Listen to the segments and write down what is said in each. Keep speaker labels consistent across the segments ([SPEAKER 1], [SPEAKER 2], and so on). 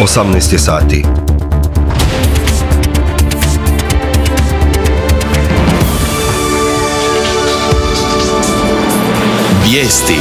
[SPEAKER 1] 18 je sati.
[SPEAKER 2] Vijesti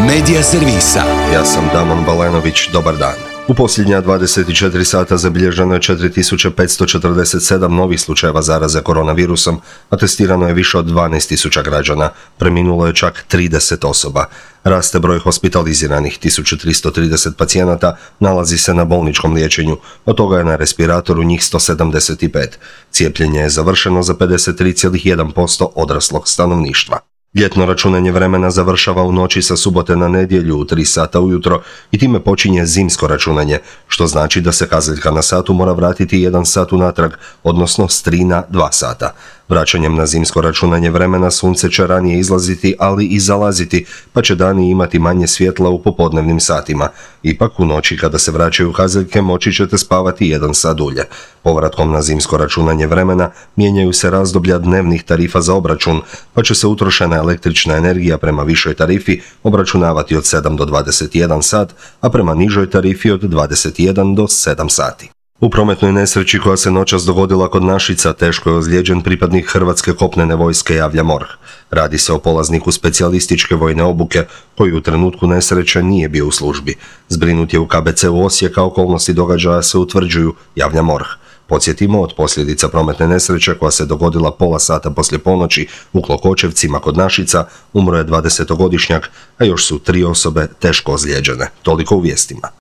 [SPEAKER 2] Medija servisa.
[SPEAKER 1] Ja sam Damon Balenović, dobar dan. U posljednja 24 sata zabilježeno je 4547 novih slučajeva zaraze koronavirusom, a testirano je više od 12.000 građana. Preminulo je čak 30 osoba. Raste broj hospitaliziranih, 1330 pacijenata nalazi se na bolničkom liječenju, od toga je na respiratoru njih 175. Cijepljenje je završeno za 53,1% odraslog stanovništva. Ljetno računanje vremena završava u noći sa subote na nedjelju u 3 sata ujutro i time počinje zimsko računanje, što znači da se kazaljka na satu mora vratiti 1 sat unatrag, odnosno s 3 na 2 sata. Vraćanjem na zimsko računanje vremena sunce će ranije izlaziti, ali i zalaziti, pa će dani imati manje svjetla u popodnevnim satima. Ipak u noći kada se vraćaju kazaljke moći ćete spavati 1 sat dulje. Povratkom na zimsko računanje vremena mijenjaju se razdoblja dnevnih tarifa za obračun, pa će se utrošena električna energija prema višoj tarifi obračunavati od 7 do 21 sat, a prema nižoj tarifi od 21 do 7 sati. U prometnoj nesreći koja se noćas dogodila kod Našica teško je ozlijeđen pripadnik Hrvatske kopnene vojske, javlja MORH. Radi se o polazniku specijalističke vojne obuke koji u trenutku nesreće nije bio u službi. Zbrinut je u KBC-u Osijek, a okolnosti događaja se utvrđuju, javlja MORH. Podsjetimo, od posljedica prometne nesreće koja se dogodila pola sata poslije ponoći u Klokočevcima kod Našica umro je 20-godišnjak, a još su 3 osobe teško ozlijeđene. Toliko u vijestima.